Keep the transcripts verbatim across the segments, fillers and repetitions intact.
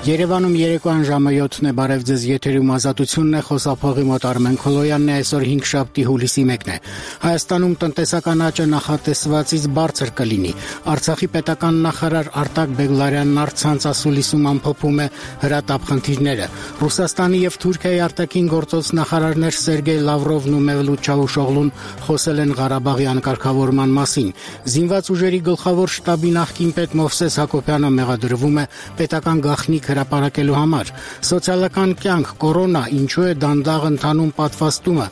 Երևանում երեկոյան ժամը յոթն է, բարև ձեզ, եթերում Ազատությունն է, խոսափողի մոտ Արմեն Քոլոյանն է, այսօր հինգշաբթի հուլիսի մեկն է։ Հայաստանում տնտեսական աճը նախատեսվածից բարձր կլինի։ Արցախի պետական նախարար Արտակ Բեգլարյանն առցանց ասուլիսում ամփոփում է հրատապ խնդիրները։ Ռուսաստանի եւ Թուրքիայի արտաքին գործոց նախարարներ Սերգեյ Լավրովն ու Մևլութ Չավուշօղլուն խոսել են Ղարաբաղի անկարգավորման մասին։ Զինված ուժերի գլխավոր շտաբի նախկին պետ Մովսես Հակոբյանը մեղադրվում է պետական գաղտնիք հրապարակելու համար։ Սոցիալական կյանք, կորոնա, ինչու է դանդաղ ընթանում պատվաստումը,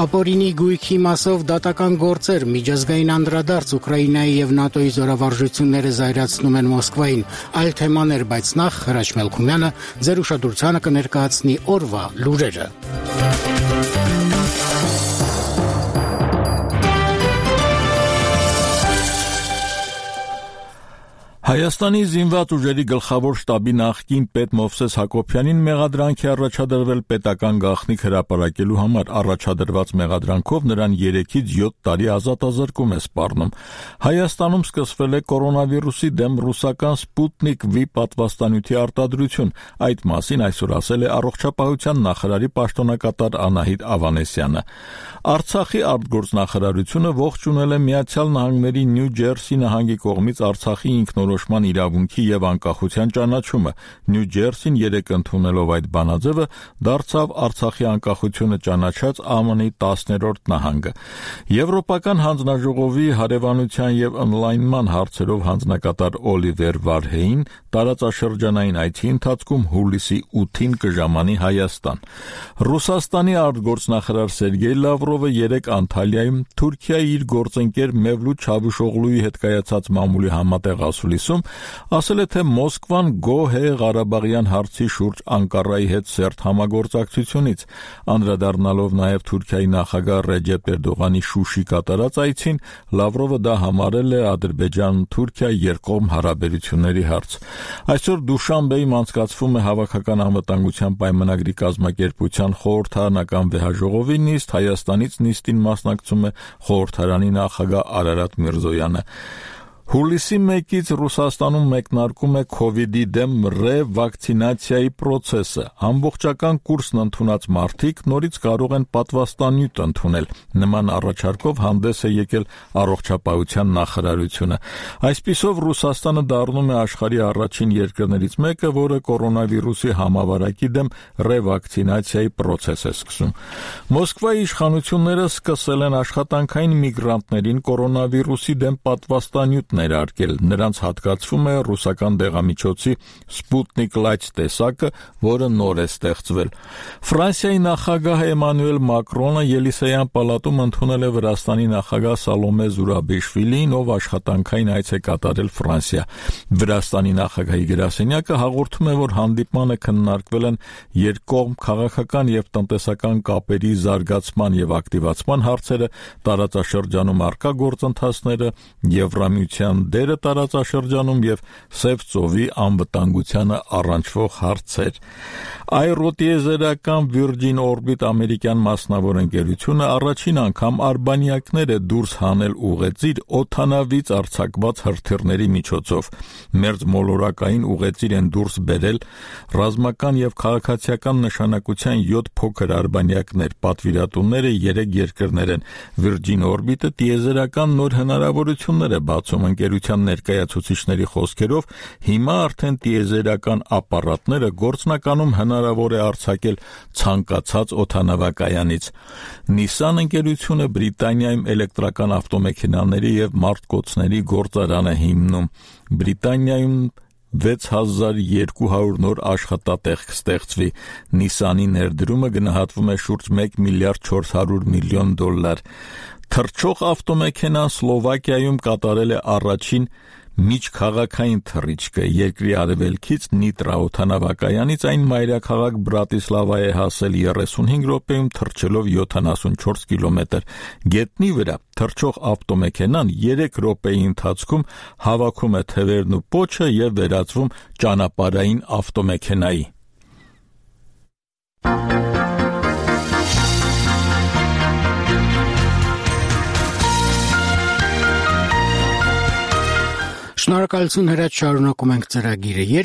ապօրինի գույքի մասով դատական գործեր, միջազգային անդրադարձ, Ուկրաինայի եւ ՆԱՏՕ-ի զորավարժությունները զայրացնում են Մոսկվային, այլ թեմաներ, բայց նախ Հրաչ Մելքումյանը ձեր ուշադրությանը կներկայացնի օրվա լուրերը։ Հայաստանի զինված ուժերի գլխավոր շտաբի նախկին պետ Մովսես Հակոբյանին մեղադրանք է առաջադրվել պետական գաղտնիք հրապարակելու համար։ Առաջադրված մեղադրանքով նրան երեքից յոթ տարի ազատազրկում է սպառնում։ Հայաստանում սկսվել է կորոնավիրուսի դեմ ռուսական Սպուտնիկ V պատվաստանյութի արտադրություն։ Այդ մասին այսօր ասել է առողջապահության նախարարի պաշտոնակատար Անահիտ Ավանեսյանը։ Արցախի արտգործնախարարությունը ողջունել է Միացյալ Նահանգների Նյու Ջերսի նահանգի կողմից Արցախի ինքնորոշման իրավունքի եւ անկախության ճանաչումը։ Նյու Ջերսին երեկ ընդունելով այդ բանաձևը դարձավ Արցախի անկախությունը ճանաչած Α M N-ի տասներորդ նահանգը։ Եվրոպական հանձնաժողովի հարևանության եւ օնլայնման հարցերով հանձնակատար Օլիվեր Վարհեին տարածաշրջանային այցի ընթացքում հուլիսի ութին կժամանի Հայաստան։ Ռուսաստանի արտգործնախարար Սերգեյ Լավրովը երեկ Անտալիայում Թուրքիայի իր գործընկեր Մևլութ Չավուշօղլուի հետ կայացած մամուլի համատեղ ասուլիսում ասել է, թե Մոսկվան գոհ է Ղարաբաղյան հարցի շուրջ Անկարայի հետ սերտ համագործակցությունից։ Անդրադառնալով նաև Թուրքիայի նախագահ Ռեջեփ Էրդողանի Շուշի կատարած այցին, Լավրովը դա համարել է Ադրբեջան-Թուրքիա երկկողմ հարաբերությունների հարց։ Այսօր Դուշանբեում անցկացվում է Հավաքական անվտանգության պայմանագրի կազմակերպության խորհրդարանական վեհաժողովի նիստ, Հայաստանից նիստին մասնակցում է խորհրդարանի նախագահ Արարատ Միրզոյանը։ Հուլիսի մեկից Ռուսաստանում մեկնարկում է քովիդի դեմ ռեվակցինացիայի պրոցեսը։ Ամբողջական կուրսն ընդունած մարդիկ նորից կարող են պատվաստանյութ ընդունել։ Նման առաջարկով հանդես է եկել առողջապահության նախարարությունը։ Այսպիսով Ռուսաստանը դառնում է աշխարհի առաջին երկրներից մեկը, որը կորոնավիրուսի համավարակի դեմ ռեվակցինացիայի պրոցես է սկսում։ Մոսկվայի իշխանությունները սկսել են աշխատանքային միգրանտներին կորոնավիրուսի դեմ պատվաստանյութ ներարկել։ Նրանց հատկացվում է ռուսական դեղամիջոցի Սպուտնիկ Լայթ տեսակը, որը նոր է ստեղծվել։ Ֆրանսիայի նախագահ Էմանուել Մակրոնը Ելիսեյան պալատում ընդունել է Վրաստանի նախագահ Սալոմե Զուրաբիշվիլին, ով աշխատանքային այց է կատարել Ֆրանսիա։ Վրաստանի նախագահի գրասենյակը հաղորդում է, որ հանդիպմանը քննարկվել են երկկողմ քաղաքական եւ տնտեսական կապերի զարգացման եւ ակտիվացման հարցերը, տարածաշրջանում առկա գործընթացները, Եվրամիության դերը տարածաշրջանում եւ Սև ծովի անվտանգությանը առնչվող հարցեր։ Այրոտիեզերական Virgin Orbit ամերիկյան մասնավոր ընկերությունը առաջին անգամ արբանյակներ է դուրս հանել ուղեծիր օդանավից արձակված հրթիռների միջոցով։ Մերձմոլորակային ուղեծիր են դուրս բերել ռազմական եւ քաղաքացիական նշանակության յոթ փոքր արբանյակներ։ Պատվիրատուները երեք երկրներ են։ Virgin Orbit-ը տիեզերական նոր հնարավորություններ է բացում ընկերության ներկայացուցիչների խոսքերով, հիմա արդեն տիեզերական ապարատները գործնականում հնարավոր է արձակել ցանկացած օդանավակայանից։ Nissan ընկերությունը Բրիտանիայում էլեկտրական ավտոմեքենաների եւ մարդկոցների գործարան է հիմնում։ Բրիտանիայում վեց հազար երկու հարյուր նոր աշխատատեղ կստեղծվի։ Nissan-ի ներդրումը գնահատվում է շուրջ մեկ միլիարդ չորս հարյուր միլիոն դոլար։ Թռչող ավտոմեքենան Սլովակիայում կատարել է առաջին միջքաղաքային թռիչքը։ Երկրի արևելքից Նիտրա օդանավակայանից այն մայրաքաղաք Բրատիսլավա է հասել երեսունհինգ րոպեում, թռչելով յոթանասունչորս կիլոմետր։ Գետնի վրա թռչող ավտոմեքենան երեք րոպեի ընթացքում հավաքում է թևերն ու պոչը եւ վերածվում ճանապարհային ավտոմեքենայի։ Շնորհակալություն Հրաչ, շարունակում ենք ծրագիրը։